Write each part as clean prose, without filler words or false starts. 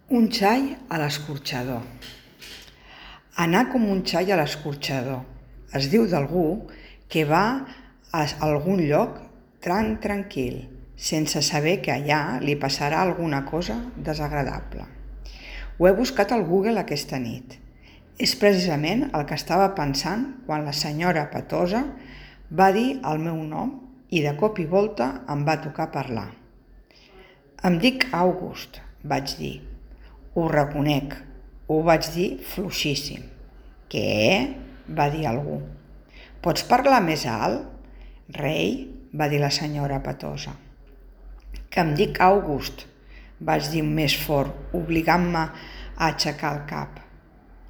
Un xai a l'escorxador. Anar com un xai a l'escorxador. Es diu d'algú que va a algun lloc tranquil, sense saber que allà li passarà alguna cosa desagradable. Ho he buscat al Google aquesta nit. És precisament el que estava pensant quan la senyora Patosa va dir el meu nom i de cop i volta em va tocar parlar. Em dic August, vaig dir. Ho reconec, ho vaig dir fluixíssim. Què? Va dir algú. Pots parlar més alt? Rei, va dir la senyora Patosa. Que em dic August, vaig dir més fort, obligant-me a aixecar el cap.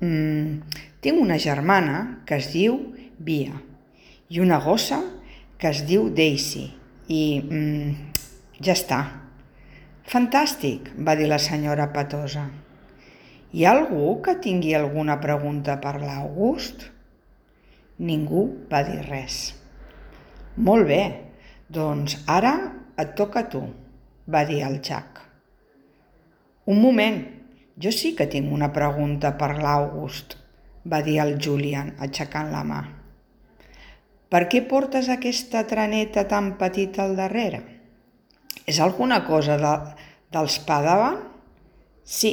Tinc una germana que es diu Via i una gossa que es diu Daisy i ja està. Fantàstic, va dir la senyora Patosa. Hi ha algú que tingui alguna pregunta per l'August? Ningú va dir res. Molt bé, doncs ara et toca a tu, va dir el Jack. Un moment, jo sí que tinc una pregunta per l'August, va dir el Julian, aixecant la mà. Per què portes aquesta traneta tan petita al darrere? És alguna cosa dels Padawan? Sí,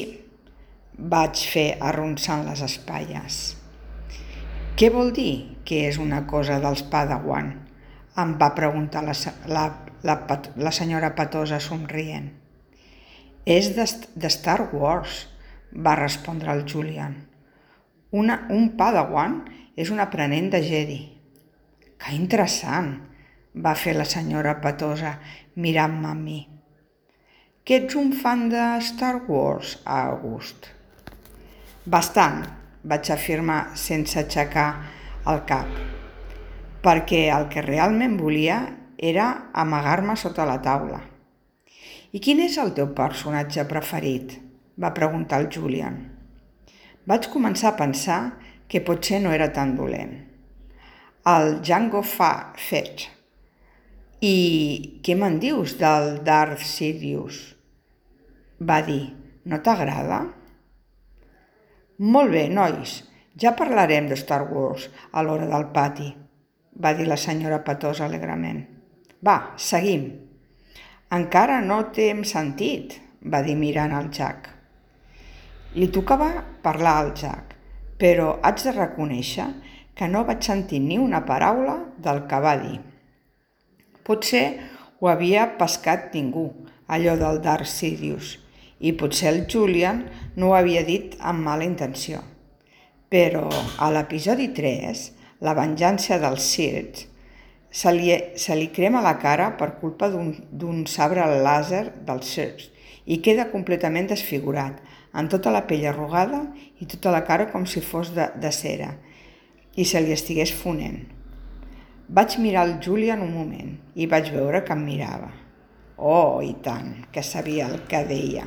vaig fer arronsant les espatlles. Què vol dir que és una cosa dels Padawan? Em va preguntar la senyora Patosa somrient. És de Star Wars, va respondre el Julian. Un Padawan és un aprenent de Jedi. Que interessant, va fer la senyora Patosa mirant-me a mi. Que ets un fan de Star Wars, August? Bastant, vaig afirmar sense aixecar el cap, perquè el que realment volia era amagar-me sota la taula. I quin és el teu personatge preferit? Va preguntar el Julian. Vaig començar a pensar que potser no era tan dolent. El Jango Fett. I què me'n dius del Darth Sidious? Va dir, no t'agrada? Molt bé, nois, ja parlarem de Star Wars a l'hora del pati, va dir la senyora Patosa alegrement. Va, seguim. Encara no t'hem sentit, va dir mirant el Jack. Li tocava parlar al Jack, però haig de reconèixer que no vaig sentir ni una paraula del que va dir. Potser ho havia pescat ningú, allò del Darth Sidious, i potser el Julian no ho havia dit amb mala intenció. Però a l'episodi 3, la venjança dels Sith, se li crema la cara per culpa d'un sabre làser dels Sith i queda completament desfigurat, amb tota la pell arrugada i tota la cara com si fos de cera, i se li estigués fonent. Vaig mirar el Julian un moment i vaig veure que em mirava. Oh, i tant, que sabia el que deia.